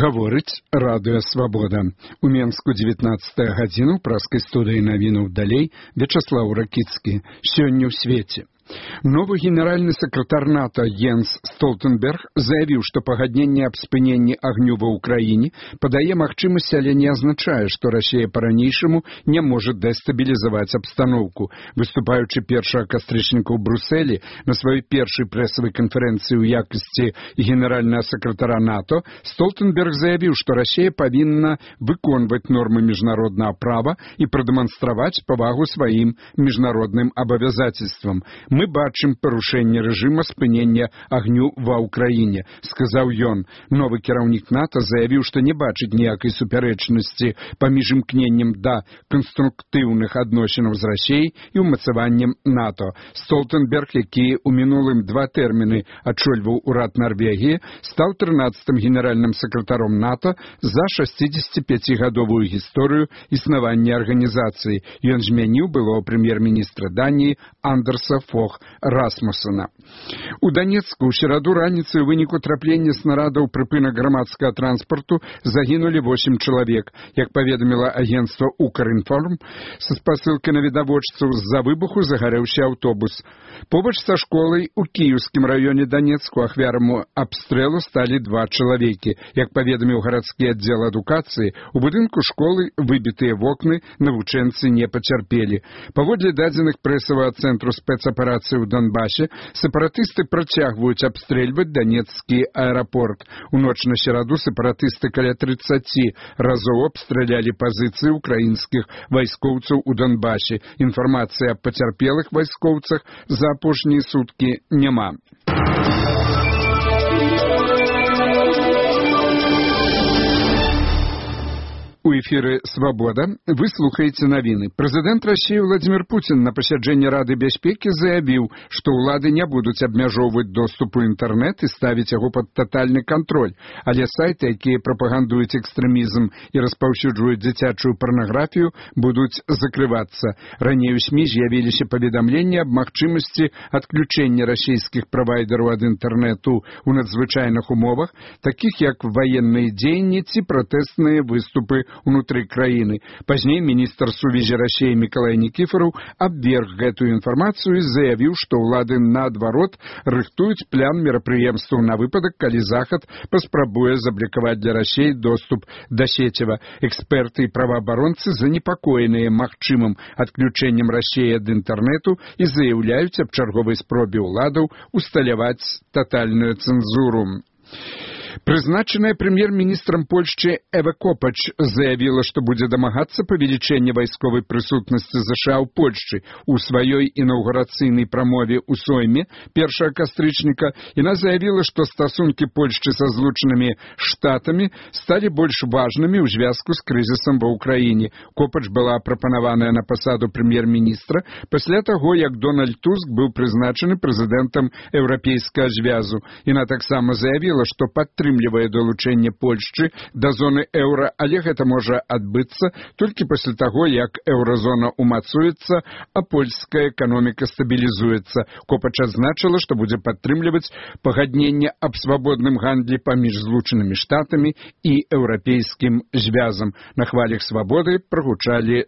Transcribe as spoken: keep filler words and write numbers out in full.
Гаворыць радыё «Свабода». У Менску дзевятнаццатая гадзіна ў праскай студыі навінаў далей Вячаслаў Ракіцкі. Сёння ў свеце. Новый генеральный секретарь НАТО Йенс Столтенберг заявил, что погоднение об спынении огню в Украине подае магчимость, але не означает, что Россия по-ранейшему не может дестабилизовать обстановку. Выступаючи першага кастрычніка ў Брюсселі на своей першей прессовой конференции у якости генерального секретаря НАТО, Столтенберг заявил, что Россия повинна выконваць нормы международного права и продемонстровать повагу своим международным обязательствам. Мы бачым парушэнне рэжыма спынення агню ва ўкраіне, сказаў ён. Новы кіраўнік НАТО заявіў, што не бачыць ніякай супярэчнасці паміж імкненнем да канструктыўных адносінаў з Расіяй і ўмацаваннем НАТО. Столтенберг, які ў мінулым два тэрміны адчольваў урад Нарвегіі, стаў трынаццатым генеральным сакратаром НАТО за шасцідзесяціпяцігадовую гісторыю існавання арганізацыі. Ён змяніў былого прэм'ер-міністра Даніі Андерса Фох Расмусена. У Донецку ў сераду раніцай у выніку траплення снарада ў прыпынак грамадскага транспарту загінулі восем чалавек. Як паведаміла агенцтва «Укрінформ», са спасылкай на відавочцаў, з-за выбуху загарэўся аўтобус. Побач са школай у кіеўскім раёне Донецку ахвяраму абстрэлу сталі два чалавекі. Як паведаміў гарадскі аддзел адукацыі, у будынку школы выбітыя вокны, навучэнцы не пацярпелі. Паводле дадзеных прэсавага цэнтру спецаперацыі ў Донбасе, сепаратысты працягваюць абстрэльваць Донецкі аэрапорт. У ноч на сераду сепаратысты каля трыццаці разоў абстралялі пазіцыі украінскіх вайскоўцаў у Донбасе. Інфармацыі аб пацярпелых вайскоўцах за апошнія суткі няма. У эфіры «Свобода» вы слухаеце навіны. Прэзідэнт Расіі Владзімір Пуцін на пасяджэнні Рады бяспекі заявіў, што ўлады не будуць абмяжоўваць доступ у інтэрнэт і ставіць яго пад татальны кантроль, але сайты, якія прапагандуюць экстрэмізм і распаўсюджваюць дзіцячую парнаграфію, будуць закрывацца. Раней у СМІ з'явіліся паведамленні аб магчымасці адключэння расійскіх правайдераў ад інтэрнэту ў надзвычайных умовах, такіх як ваенныя дзеянні ці пратэсныя выступы унутры краіны. Пазней міністр сувязі Расіі Мікалай Нікіфараў абверг гэтую інфармацыю і заявіў, што ўлады наадварот рыхтуюць план мерапрыемстваў на выпадак, калі Захад паспрабуе заблакаваць для Расіі доступ да сеціва. Эксперты і праваабаронцы занепакоеныя магчымым адключэннем Расіі ад інтэрнэту і заяўляюць аб чарговай спробе ўладаў усталяваць татальную цэнзуру. Прызначаная прэм'ер-міністрам Польшчы Эва Копач заявіла, што будзе дамагацца павелічэння вайсковай прысутнасці ЗША ў Польшчы. У сваёй інаўгурацыйнай прамове ў Сойме першага кастрычніка яна заявіла, што стасункі Польшчы са злучанымі штатамі сталі больш важнымі ў звязку з крызісам ва ўкраіне. Копач была прапанаваная на пасаду прэм'ер-міністра пасля таго, як Дональд Туск быў прызначаны прэзідэнтам Еўрапейскага звязу. Яна таксама заявіла, што падтрымлівае атрымлівае далучэнне Польшчы да зоны еўра, але гэта можа адбыцца толькі пасля таго, як еўразона умацуецца, а польская эканоміка стабілізуецца. Копач адзначыла, што будзе падтрымліваць пагадненне аб свабодным гандлі паміж злучанымі штатамі і еўрапейскім звязам. На хвалях свабоды прагучалі